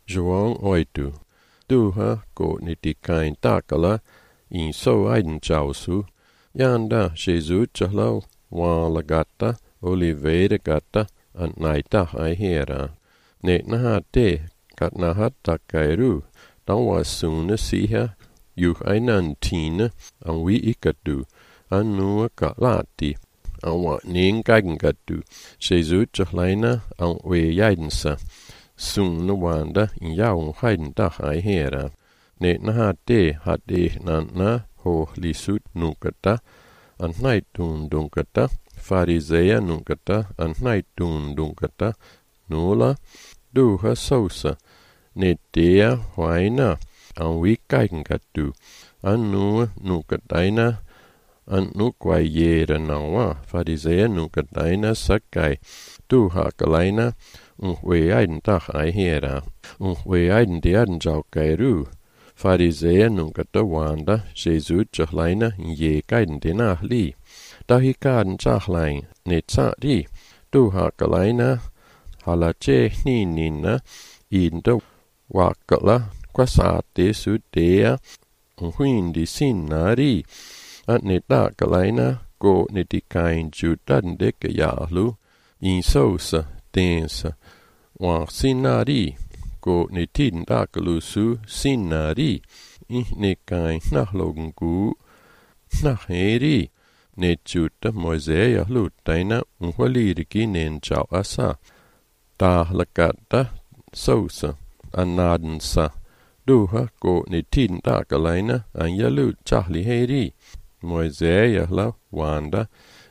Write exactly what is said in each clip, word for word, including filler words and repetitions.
João oito. Duha go nitikain takala in so aiden chausu. Yanda Jesus chahlo walagata oliveira gata an naita aihera. Ne naha te katnaha takairu. Dawa suna siha yuh ainantina an wi ikatu. Anua kalati. An wa ningagangatu. Jesus chahlaina an we yaidensa. Suna wanda in jaun haiden dag aihera. Ne naha te hat e na ho lisut nukata. An naitun dunkata. Farisea nukata. An naitun dunkata. Nula. Duha sosa. Ne tea huaina. An wi kaikengatu. Anua nukataina. An nukwai yera nawa. Farisea nukataina sakai. Duha kalaina. Un aiden dag aihera. Un aiden diaden jaukairu. Farisea nukata wanda. Jesus chahlaina ye kaiden dinahli. Dahikaden chahlain. Ne tsadi. Duha kalaina. Halache ninina. Inda wakala. Kwasate sudea. Un huindi sinari. At ne dakalaina. Go nitikain jutan deke yahlu. In sosa. Densa. Wa sinari. Go nitiden dakalusu sinari. Ihnikain nahlogungu. Naheri. Ne juta Moisea lutaina unhualiriki nen chau asa. Dahlakata sosa. Anadensa. Duha go nitiden dakalaina anjalu chahli heri. Moisea la wanda.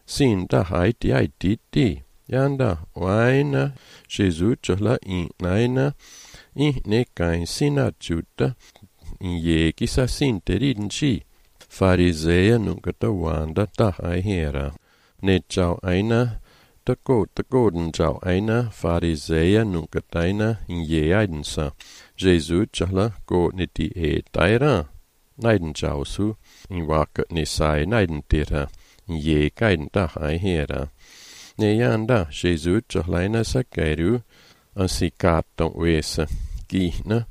Sin da haiti haiti ti. Yanda waina Jesus chahla in naina in ne kain sina juta in ye kisa sinterin chi. Farisea nukata wanda ta aihera. Ne chau aina tako takoden chau aina farisea nukataina in ye aidensa. Jesus chahla go niti e taira. Naiden chausu in waka ne sai naiden tira in ye kaiden ta aihera. Ne yanda Jesus chahlaina sakairu an sikaton wesa kihna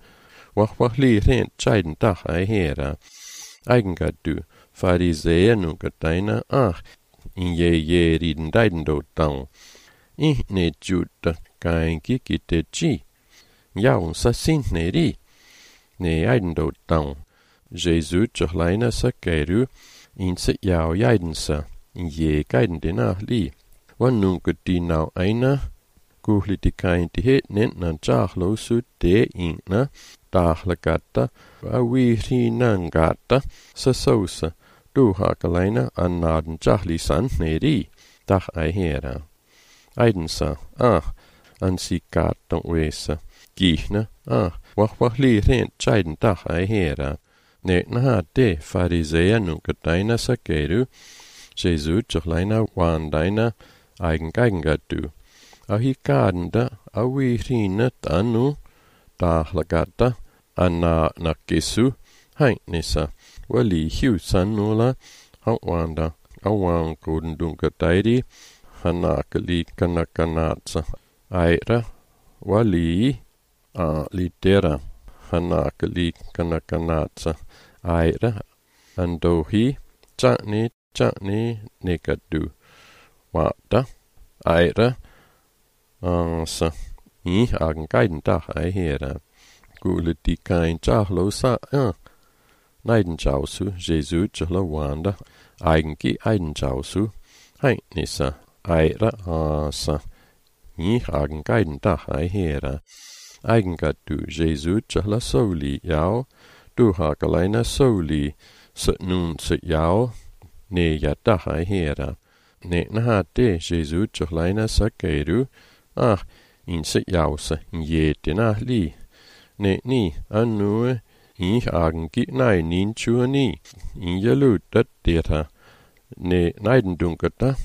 wahwahli rent chaiden tah aihera. Eigengatu farisea nukataina ah in ye ye riden daiden dotan. In ne juta kain kikite chi. Jaun sa sintneri. Ne aiden dotan. Jesus chahlaina sakairu in se yao jaidensa in ye kaiden dinahli. Wan nunca di nau aina, kuhli di kain di het nen nan chahlo su de inna, dahlagata, awiri nangata, sa sosa, duha kalaina anaden chahli san neri, dah aihera. Aidensa, ah, an sikatan wesa, gihna, ah, wahwahli rent chaiden dah aihera. Ne naha de farisea nunca daina sakeru, Jesus chahlaina wandaina, eigen gaigengatu. Ahikadenda awirina tanu dahlagata anna nakisu hainisa wali hiusanula hawanda awankudundungatairi hanakali kanakanatsa aira wali a litera hanakali kanakanatsa aira andohi chani chani nikadu wata aira ansa i agen dag aihera gule di kain chahlo sa a naiden chausu Jesus chahlo wanda eigen ki aiden chausu hainisa aira ansa i agen dag aihera eigen gatu Jesus chahla soli yao du hakalaina soli se nun se yao ne ya dag aihera. Ne naha de Jesus chahlaina sakairu ah in se jausa in ye dinahli. Ne ni anue in agen gi nai nin chuani in jalu dat deta. Ne naiden dunkata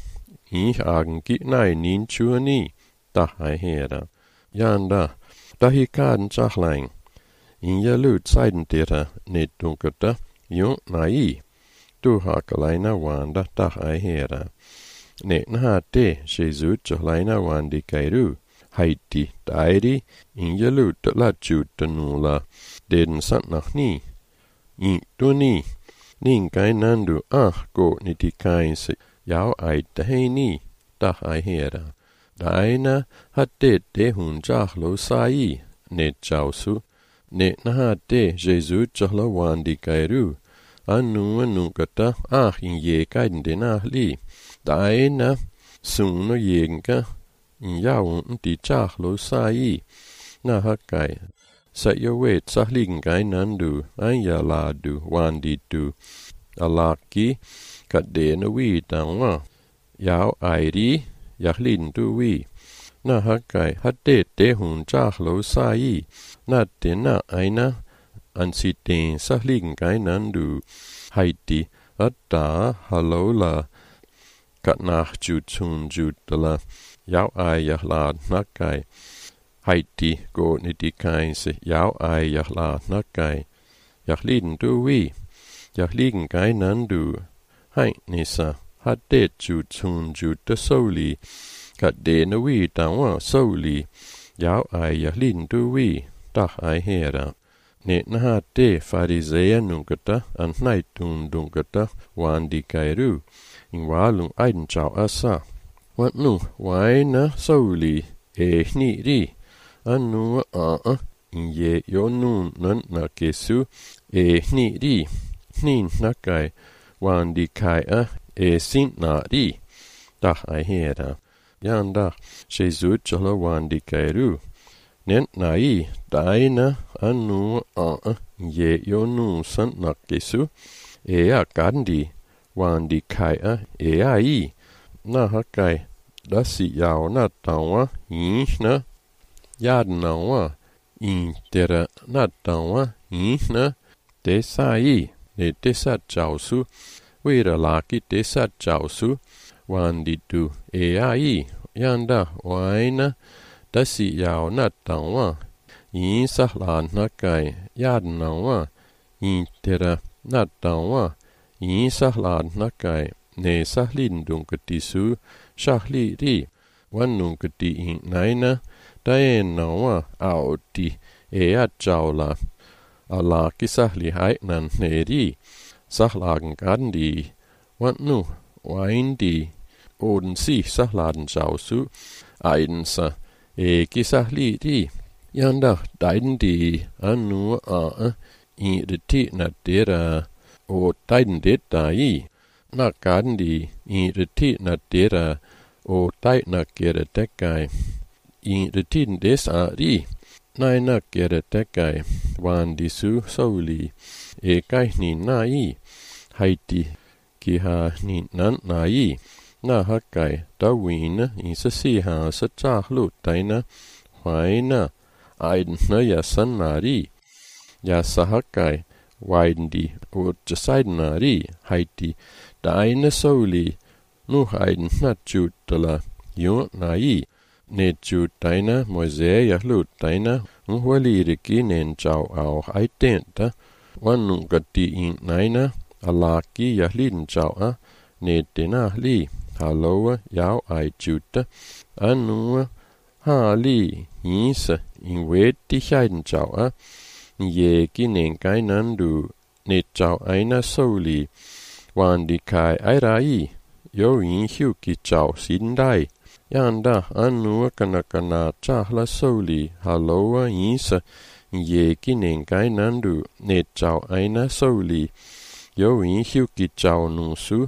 in agen gi nai nin chuani da aihera. Yanda dahikaden chahlain in jalu tsaiden deta ne dunkata jo nai. Duha kalaina wanda da aihera. Ne naha de Jesus chahlaina wandi kairu. Haiti dairi in yalut la jutanula den satnahni in tuni ninkai nandu ah go nitikainse yao ai taheni dah ai hera daina hatte te hun jahlo sai ne chausu ne nahate Jesu jahla wandi kairu anu anukata ah in ye kaiden denahli daina suno yenka Yao di chahlo sai na hakai sa yowe tsahlingai nandu anya ladu wandi du alaki kadena wi tangwa yao airi yahlin du wi na hakai hate te hun chahlo sai na te na aina ansiten sahlingai nandu haiti atta halola katnach jutun jutala Yao ai yahlad nakai. Haiti go nitikainse yao ai yahlad nakai. Yahliden du wi. Yahligen kai nandu. Hai nisa. Hade jutun juta soli. Kade na wi tawa soli. Yao ai yahliden du wi. Dah ai hera. Ne nahate farisea nungata an naitun dungata wandi kairu. Ingwalung aiden chao asa. Wanu waina soli e hniri anu a ye yonun nan nakesu e hniri hnin nakai wandi kai a e sin na ri dah ai hera yanda Jesu chala wandi kairu nen nai daina anu a ye yonun san nakesu e a gandi wandi kai a e ai na hakai dasi yao na tawa inhna yadnawa intera na tawa inhna te sai ne te sa chausu wira laki te sa chausu wandi tu e ai yanda waina dasi yao na tawa insa la nakai yadnawa intera na tawa insa la nakai Ne sahlin dunkatisu shahli ri wanunkati in naina daenawa aoti ea chaula alaki sahli haitnan neri sahlagen gandi wanu waindi oden si sahladen chausu aidensa eki sahli ri yanda daiden anu a i de na dera o daiden det dai na gandi i reti na dera o dai na gere dekai i retin des a ri nai na gere dekai wandi su soli e kai ni na i haiti ki ha ni nan na i na hakai da wina i sa si ha sa chahlu taina waina aiden na ya san na ri ya sa hakai waiden o jasaiden ri haiti daina soli nu haiden na jutala yo na i ne jutaina moise yahlu taina unhualire kinen chao au aitenta wanu gati in naina alaki yahlin chao a ne tena li haloa yao ai juta anua ha li insa in weti haiden chao a ye kinen kai nandu ne chao aina soli wandi kai airai yo in huki chao sindai yanda anua kanakana chahla soli haloa insa ye kinen kai nandu ne chao aina soli yo in huki chao nusu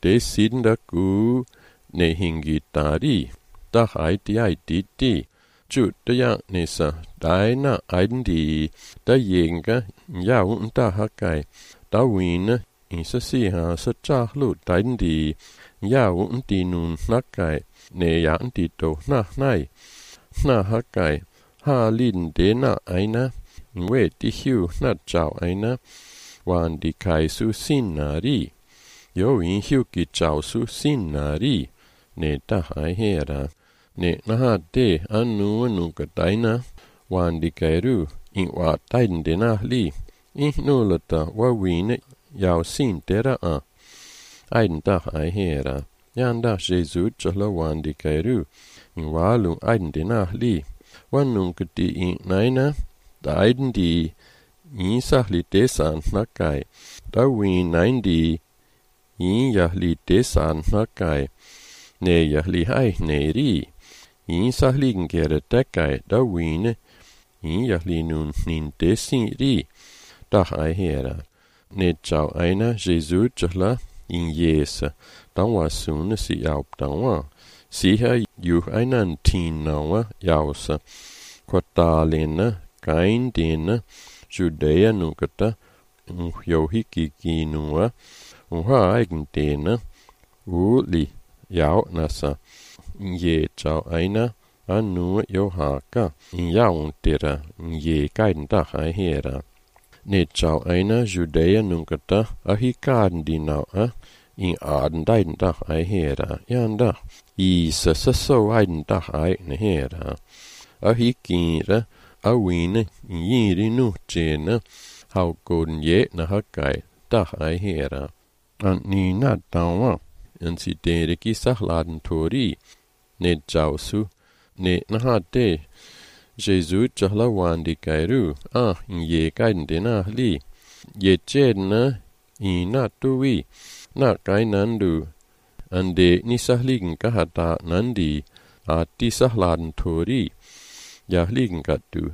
te sinda ku ne hingi tari dah ai ti ai ti ti Chut ya nisa daina aindi da yenga ya unta hakai da wina insa siha sa chahlu daindi ya unti nun nakai ne ya unti to na nai na hakai ha lin de na aina we ti hiu na chao aina wandi kai su sin na ri yo in hiu ki chao su sin na ri ne ta hai hera Ne naha te anu anuka taina wandi kairu in wa taiden de na li in nulata wa wine yao sin tera a aiden da ai hera yanda Jesu chala wandi kairu Walu aiden li. Wanungkati in naina. Daiden di. In sahli desan nakai. Dawin nine di. In yahli desan nakai. Ne yahli hai ne ri. In sahligen gere dekai. Dawine. In yahli nun nin desin ri. Dach ai hera. Ne chau aina Jesu chla in Jesu. Danwa sune si yaup danwa. Siha juh ainan tin nawa yausa. Kwartalina, kaindina, Judea nukata, unhjohikikinua, unhaigentena, uli, yaunasa, ye chau aina, anu yohaka, yauntira, ye kainda hera. Ne chau aina Judea nukata, ahikandina, in adendaida hera, yanda, isa so aidenda hera. Ahikira, awine, yiri nuchena, haukoden ye na hakai, dach ai hera. An ni na dawa, en si deriki sahladen tori, ne jausu, ne nahate. Jesu jahla wandi kairu, ah, in ye kaiden dena li. Ye chedna, ina tui, na kai nandu. Ande ni sahligen kahata nandi, ati sahladen tori. Yahligen gatu.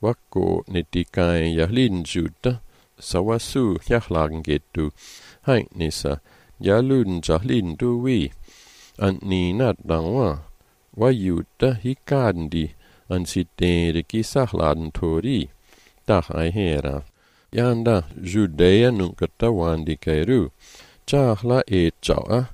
Wako nitikai yahliden juta. Sawasu yahlagen getu. Hai nisa. Yaluden jahliden duwi. An ni nat dangwa. Wayuta hikandi. An siteriki sahladen tori. Dach ai hera. Yanda Judea nukata wandi kairu. Chahla e chawa.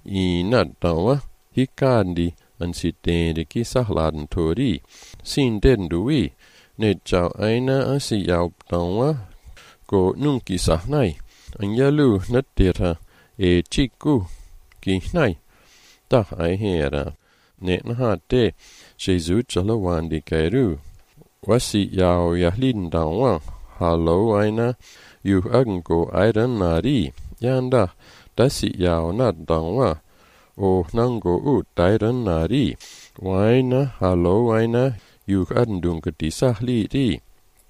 I nat dangwa. Hikandi. An siteriki sahladen tori. Sin den duwi. Ne chau aina an si yaup dangwa. Ko nunki sahnai. An yalu natira e chiku. Ki hnai. Dach ai hera. Ne nahate. Jesu chala wandi kairu. Wasi yau yahliden dangwa. Hallo aina. Yuh agengo aidan nari. Yanda. Dasi yau nat dangwa. O nango u dairan nari. Waina hallo aina. Yuh adendunke sahli di.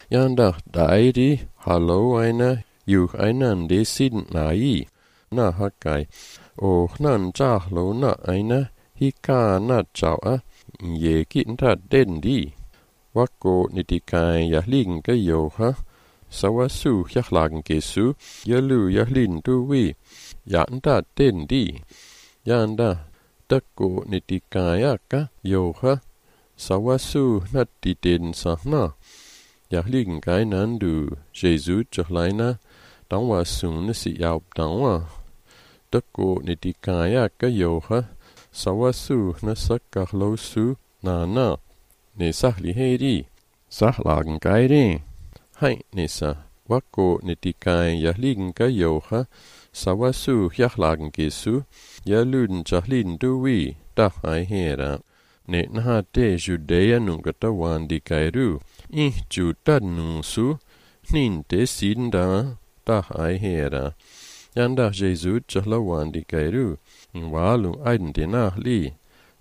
Yanda dairi hallo aina. Yuh ainan de sidn nai. Na hakai. O nan jahlo na aina. Hika na chawa. Ye kinta den di. Wako nitikai yahligen ke yoha. Sawasu yahlagen gesu. Yalu yahlin duwi. Yanda den di. Yanda dako nitikayaka yoha. Sawasu nati den sahna. Yahligen kai nandu. Jesu chahlaina. Dangwa sune si yaup dangwa. Dako nitikayaka yoha. Sawasu na sakahlosu na na. Ne sahli heri. Sahlagen gairi. Hai nisa. Wako nitikai yahligen ka yoha. Sawasu yahlagen gesu. Yaluden chahliden duwi. Dach ai hera. Ne nahate Judea nukata wandi kairu. Ih juta nunsu. Ninte sidenda. Dach ai hera. Yanda Jesu chahla wandi kairu. Walu aiden dena li.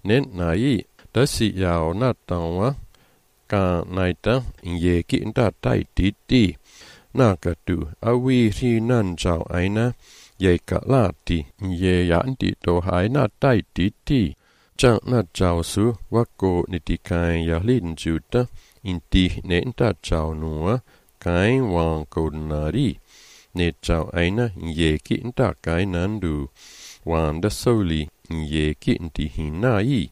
Nen nai. Dasi yao natangwa. Ka naita. Ye kinta tai titi. Nakatu. Awi ri nan chao aina. Ye ka lati. Ye yanti to haina tai titi. Chang na chao su. Wako nitikai yahlin juta. Inti nenta chao nua. Kai wang kodnari. Ne chao aina. Ye kinta kai nandu. Wanda soli. Ye kinti hinai.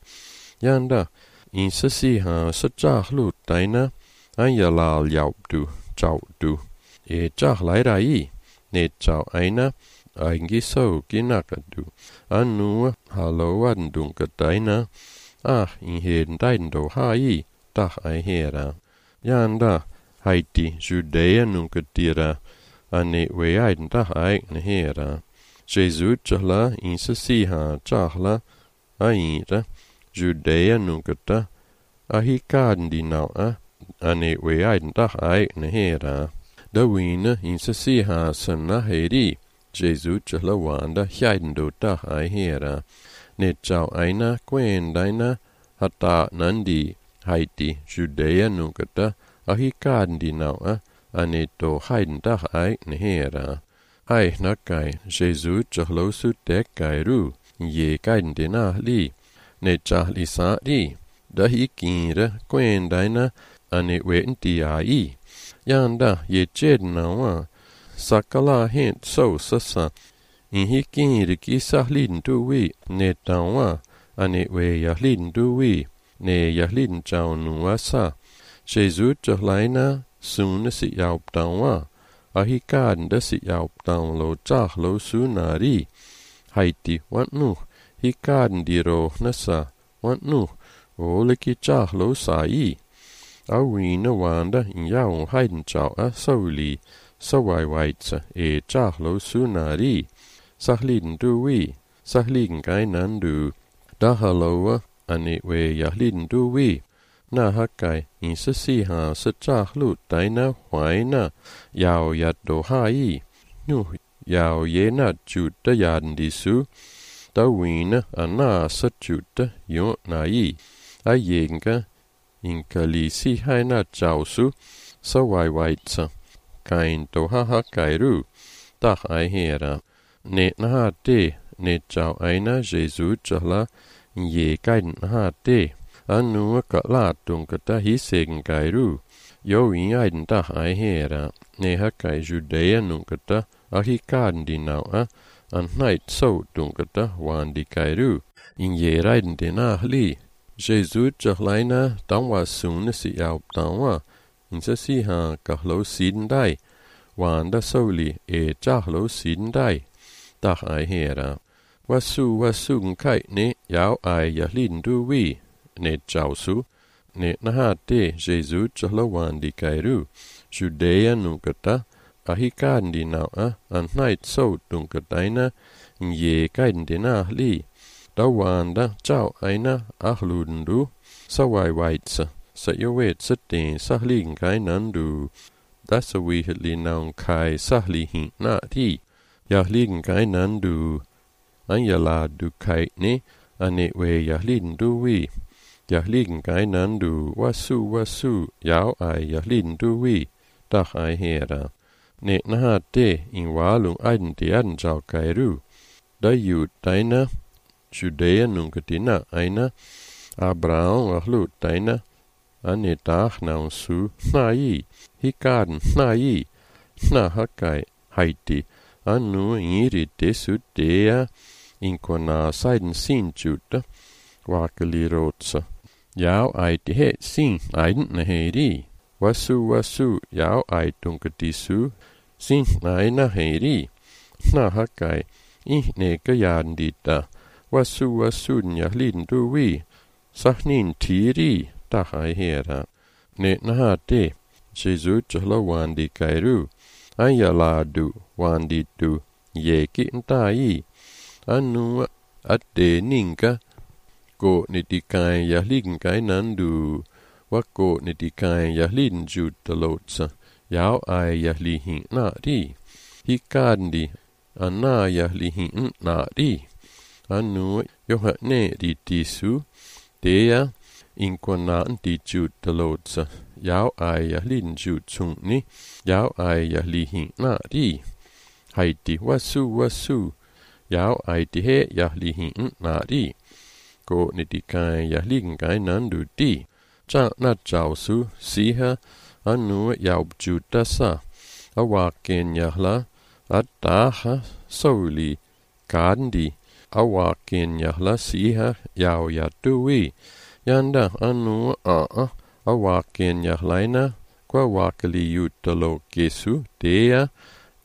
Yanda. In sasiha sachahlu taina. Ayalal yaupdu. Chaudu. E chahlairai. Ne chao aina. Aingi so ginakadu. Anu haloadundunka taina. Ah, in heden daindo hai. Dach ai hera. Yanda. Haiti Judea nunkatira. Ane weaiden dach ai hera. Jesu chahla in sasiha chahla. Aira. Judea nukata. Ahikandi naua. Ane weaiden dach ai hera. Dawina in sasiha sana heri. Jesu chahla wanda hjaidendo dach ai hera. Ne chau aina quen daina. Hata nandi haiti Judea nungkata ahikandi naua aneto haiden ai nehera. Ai nakai Jesus chahlosu tekai ru ye kaiden dina li ne chahli sa ri dahi kinra kwendaina ane wenti ai. Yanda ye chednawa sakala hent so sasa inhi kinri ki sahlin tuwi ne tawa ane we yahlin tuwi ne yahlin chaunuasa. Jesus chahlaina suna si yauptawa ahikanda si yauptaun lo chahlo sunari haiti wantnu hikandiro nasa wantnu oliki chahlo sai awina wanda yaun haiden chau a soli sawaiwaitsa e chahlo sunari sahlin duwi sahlin gainandu dahaloa ane we yahlin duwi na hakai insa siha sa chahlu taina huaina yao yato hai nu yao ye na chuta yandisu tawina ana sa chuta yo nai ayenga inkalisi haina chausu sawaiwaitsa kain toha hakairu tah ai hera ne na te ne chau aina Jesus chahla ye kain ha te anu ka la tungkata hisegen kairu yo in aiden tah ai hera ne hakai Judea nungkata ahikandi naua an night so tungkata wandi kairu in ye raiden dina li Jesus chahlaina tangwa suna si yauptawa insa siha kahlo sidendai wanda soli e chahlo sidendai tah ai hera wasu wasu kai ne yao ai yahlin duwi ne chausu ne naha te Jesus chahlo wandi kairu Judea nungkata ahikandi naua an night so tungkataina ye kaindina li Dawanda chau aina ahlundu sawaiwaitsa sayowetsa te sahlin kainandu dasawi naun kai sahlihi na ti yahlin kainandu anyala du kai ne ane we yahlin duwi yahlin kainandu wasu wasu yao ai yahlin duwi tah ai hera ne naha te in walung aiden te aden chau kairu dayu taina Judea nunkatina aina Abraham ahlu taina ane tah naun su nai hikaden nai na hakai haiti anu iri tesu tea inkona saiden sin chuta wakalirotsa yao aiti he sin aiden naheri wasu wasu yao aitunkatisu sin aina heri na hakai ihne kayandita wasu wasu yahlin duwi sahnin tiri tahai hera ne naha te Jesus chahla wandi kairu ayala du wandi du yeki ntai anu ate ninka ko nitikai yahlin kai nandu wako nitikai yahlin jutalotsa yao ai yahlihi na ri hikandi ana yahlihi na ri anu yohane ritisu tea inkona antijutalotsa yao ai yahlin jutsungni yao ai yahlihi na ri haiti wasu wasu yao ai tihe yahlihi na ri ko nitikai yahlin kai nandu ti cha na chausu siha anu yao jutasa awaken yahla ataha soli kandi awaken yahla siha yao yatui yanda anu a a awaken yahlaina kwa wakali yutalo kesu tea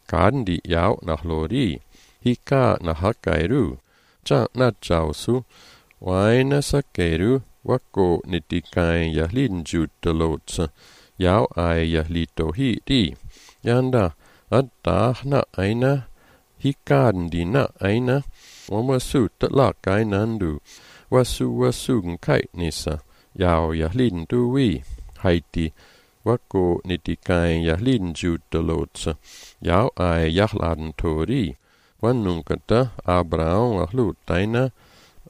kandi yao nahlori hika nahakairu cha na chausu waina sakeru wako nitikai yahlin jutalotsa yao ai yahlito hi ti yanda atahna aina hikandi na aina wamasu tatlakai nandu wasu wasu kai nisa yao yahlin duwi haiti wako nitikai yahlin jutalotsa yao ai yahlan tori wanunkata Abraham ahlu taina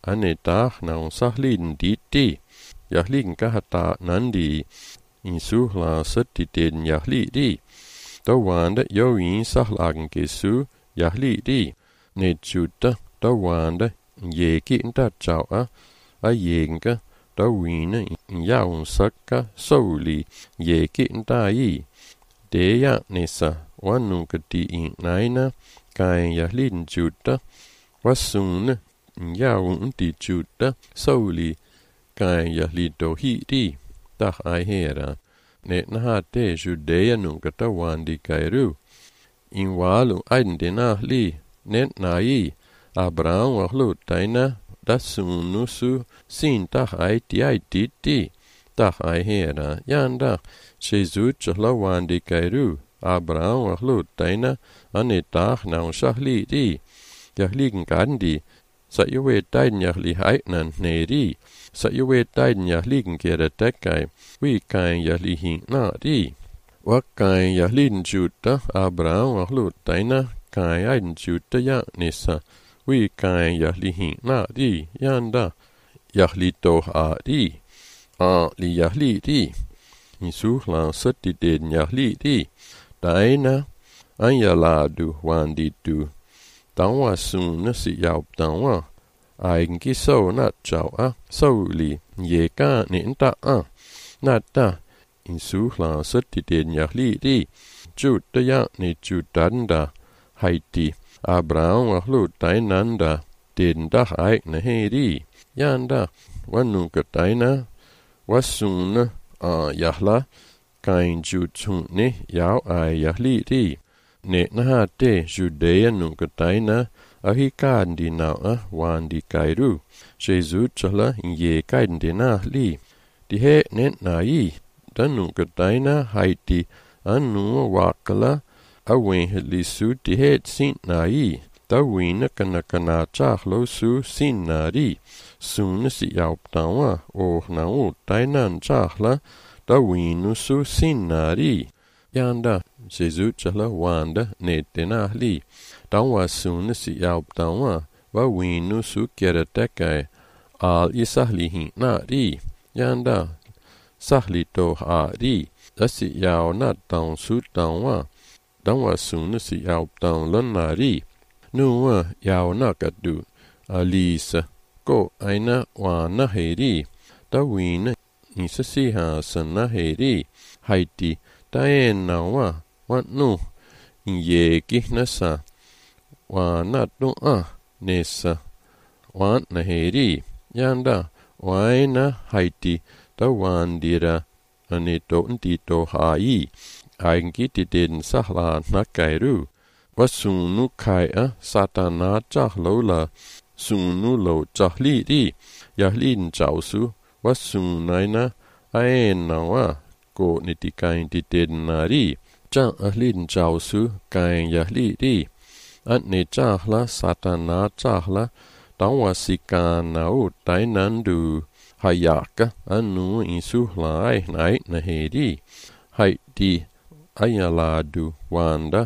Ane tahna sahlin ditti. Jahlin kahata nandi. In suhla satti den jahli. Tawanda join sahlagen kesu jahli. Ne chutta tawanda jeki tachawa a jenka tawina jaun sakka soli jeki tai. Deja nissa wanukati in naina kain jahlin chutta wasune jaun ti chutta soli kain jahlito hiti tah ai hera. Ne naha te Judea nunca tawandi kairu. In walu aidina li net nai Abraham wahlu taina dasunu su sin tah ai ti ai ti ti tah ai hera. Yanda Jesus chlawandi kairu. Abraham wahlu taina ane tah na shahli ti. Jahligen gandi sa yuwe taiden jahli haitnan neri. Sa yuwe taiden jahligen kera tekai. We kain jahli hin na di. Wa kain jahlin juta Abraham wahlu taina kain aiden juta ya nissa. We kain jahli hin na di. Yanda jahli toh a di. A li jahli di. In suhlan satti den jahli di. Taina anjaladu wandi du. Tawa suna si yaup tawa. Aigenki so na chao a soli ye ka ni ta a. Na ta in suhla satti den jahli di. Jutta ya ni jutanda haiti. Abraham wahlu tainanda den dah aigna heri. Yanda wanuka taina wasuna a jahla kain jutune yau ai jahli di. Ne naha te Judea nunca taina ahi kandi na a wandi kairu. Jesus chala ye kandi na li. Di he ne na i. Da nunca taina haiti anu wakala awen lisu di he sin na i. Da wina kana kana chahlo su sin na ri. Sun si yaup tawa o na o tainan chahla da winu su sin na ri. Yanda Jesus chala wanda ne tenahli. Tawa suna si yaup tawa wa winu su kera tekai al isahlihi na ri. Yanda sahli to ha ri. Asi yau na taun su tawa. Tawa suna si yaup taun lan na ri. Nuwa yau na kadu. Alisa ko aina wa na he ri. Tawina isa siha sa na he ri. Haiti taena wa wa nu ye kihnasa wa na tu a nessa wa na heri yanda waina haiti tawandira anito ntito hai ainkiti den sahla nakairu wasunu kai a satana chahlola sunu lo chahli ri yahlin chausu wasunaina aena wa ko nitikain titen nari cha ahlin chausu kain yahli ri atne chahla satana chahla tawa sikana o tainandu hayaka anu insuhla ai nai naheri haiti ayaladu wanda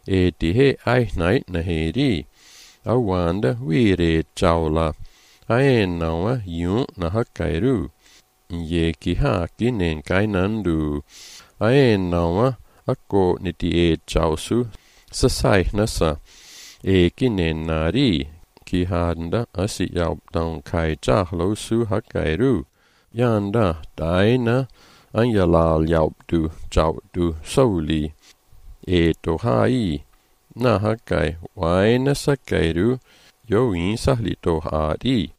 eti he ai nai naheri awanda wire chaula aenawa yu nahakairu ye ki ha ki nen kainandu aenawa ako niti e chausu sasai nasa e ki nen nari ki handa asi yaup taun kai chahlo su hakairu yanda taina anjalal yaup du chau du soli e to hai na hakai waina sakairu yoin sahli to hari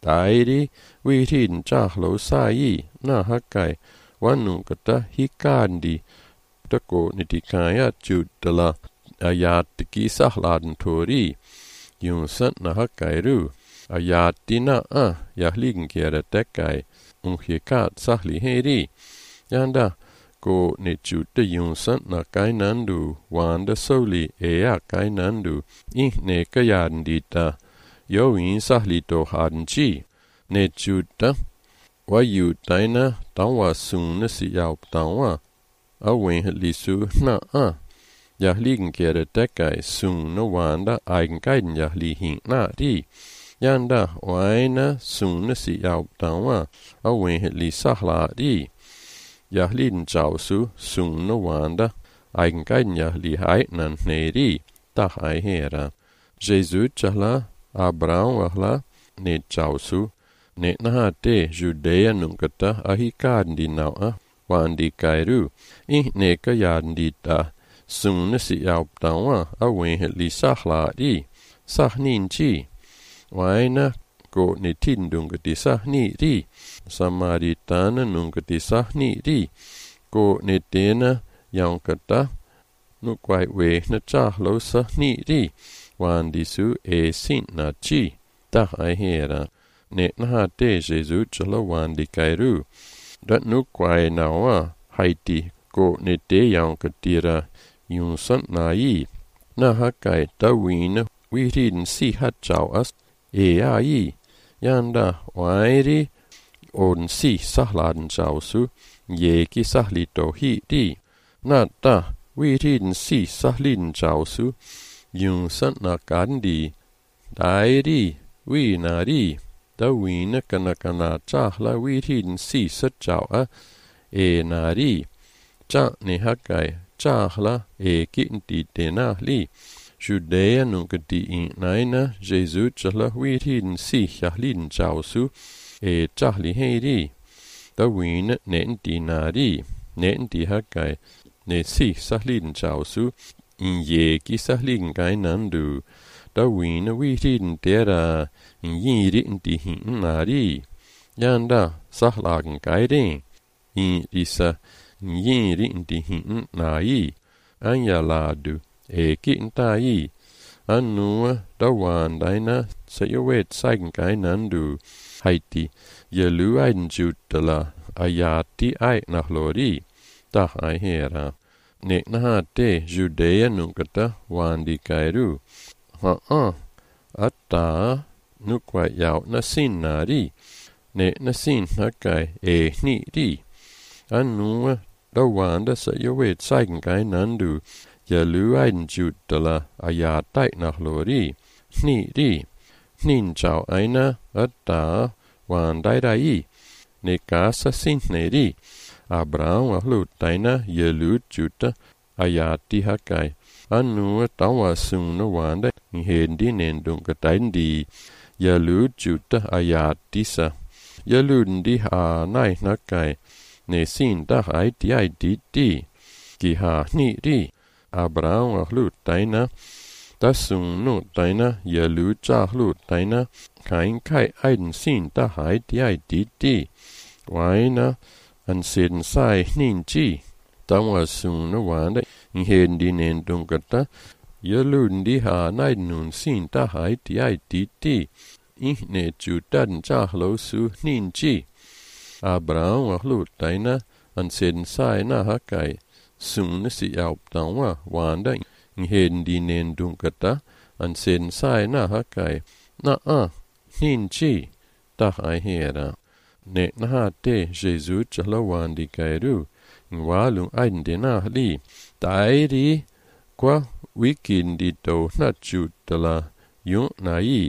Tairi wirin chahlo sai na hakai wanukata hikandi tako nitikaya chutala ayatiki sahladan tori yunsan na hakairu ayatina a yahligen kera tekai unhiekat sahli heri yanda ko ne chuta yunsan na kainandu wanda soli ea kainandu ihne kayandita Yoin sahlito hanchi ne chuta wa yu taina tawa suna si yaup tawa awen lisu na a Jahligen kera tekai suna wanda aigen kaiden jahli hin na ri. Yanda waina suna si yauptawa awen li sahlari. Yahlin chausu suna wanda ainkanya li haitnan neri tahai hera. Jesus chahla Abraham wahla ne chausu ne nahate Judea nungkata ahikandi nawa wandi kairu ih ne kayandita suna si yauptawa awen li sahlari sahninchi. Waina ko ne tindungati sahni ri Samaritana nungati sahni ri ko ne tena yankata nukwai we na chahlo sahni ri wandisu e sin na chi tahai hera ne nahate Jesus chalo wandi kairu dat nukwai nawa haiti ko ne te yankatira yun san na i nahakai tawina wirin si hachau as E ai yanda wairi on si sahladen chausu yeki sahlito hi di nata wirin si sahlin chausu yun san na kandi dairi wi nari da wina kanakana chahla wirin si sa chau a e nari cha ne hakai chahla e kinti te na li Judea nungati in naina Jesus chahla wirin si chahlin chausu e chahli heiri da wina nenti nari nenti hakai ne si sahlin chausu in yeki sahlin kai nandu da wina wirin tera in yiri inti hin nari yanda sahlagen kai in isa in yiri inti hin nai anyaladu E kintai anua dawandaina sayowet sagenkai nandu haiti yeluaiden jutala ayati ai nahlori tahai hera ne nahate Judea nungkata wandi kairu ha a atta nukwa yau nasinari ne nasin hakai e ni ri anua dawanda sayowet sagenkai nandu Yaluaiden jutala ayatai nahlori ni ri nin chau aina atta wandairai ne casa sineri Abraham ahlutaina yalu juta ayati hakai anua tawa suna wanda hendi nendungkataindi yalu juta ayatisa yalundi ha nai nakai ne sin dahai ti ai di di ki ha ni ri Abraham ahlutaina tasunu taina yalu chahlutaina kain kai aiden sin dahai ti ai di di waina an sin sai nin chi tawa suna wanda hendi nendungkata yalundi ha nai nun sin dahai ti ai di di ihne jutan chahlo su nin chi Abraham ahlutaina an sin sai na hakai Suna si yauptawa wanda hendi nendungkata an sin sai na hakai na a nin chi tahai hera ne nahate Jesus chala wandi kairu walung aiden na li tairi kwa wikindi to na jutala yun na i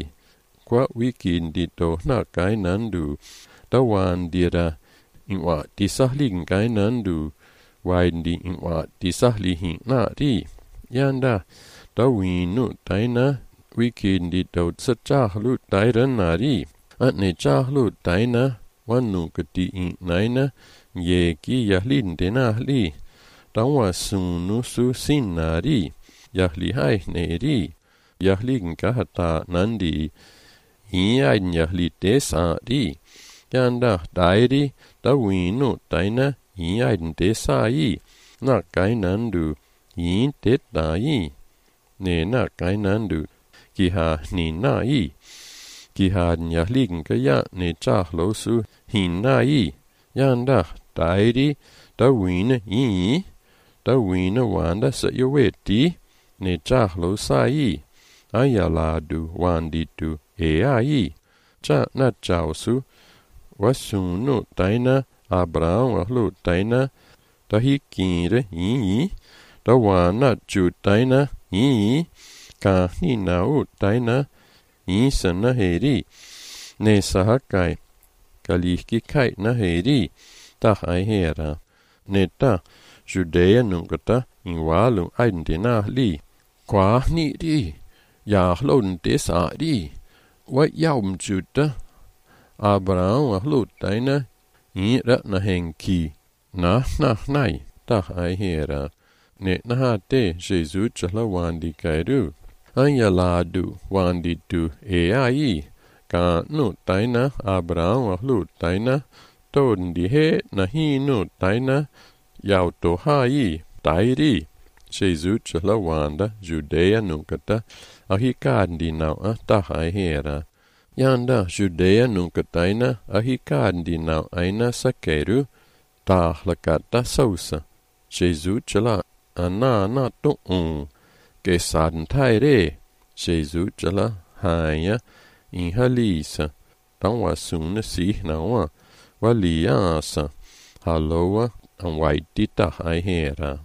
kwa wikindi to na kai nandu tawandira inwa tisahlin kai nandu waindi inwa tisahlihin na ri yanda tawinu taina wikindi to tsachahlu taira na ri atne chahlu taina wanu kati in naina ye ki yahlin de na li tawa sunu su sin na ri yahli hai ne ri yahlin kahata nandi iain yahli te sa ri yanda dairi tawinu taina iain te sa i na kai nandu in te ta i ne na kai nandu ki ha ni na i ki ha yahlin ka ya ne chahlo su hin na i yanda dairi tawina i tawina wanda sa yoweti ne chahlo sa i ayaladu wanditu e ai cha na chausu wasunu taina Abraham ahlu taina tahikire i tawana chu taina i ka ni na u taina Isa na heri ne sahakai kalihki kai na heri tah ai hera ne ta Judea nungata inwalu aindina li kwa ni ri ya hlon des a ri wa yaum juta Abraham a hlutaina ira na henki na na nai tah ai hera ne na te Jesus chala wandi kairu anya ladu wandi tu e ai ka nu taina Abraham a hlutaina tondi he na hi nu taina yau to hai tairi Jesus chala wanda Judea nukata ahikandi nau a tahai hera yanda Judea nukataina ahikandi nau aina sakeru tahlakata sausa Jesus chala ana na to un ke san taire Jesus chala haya inhalisa tawasuna si nawa waliasa haloa anwaiti tahai hera.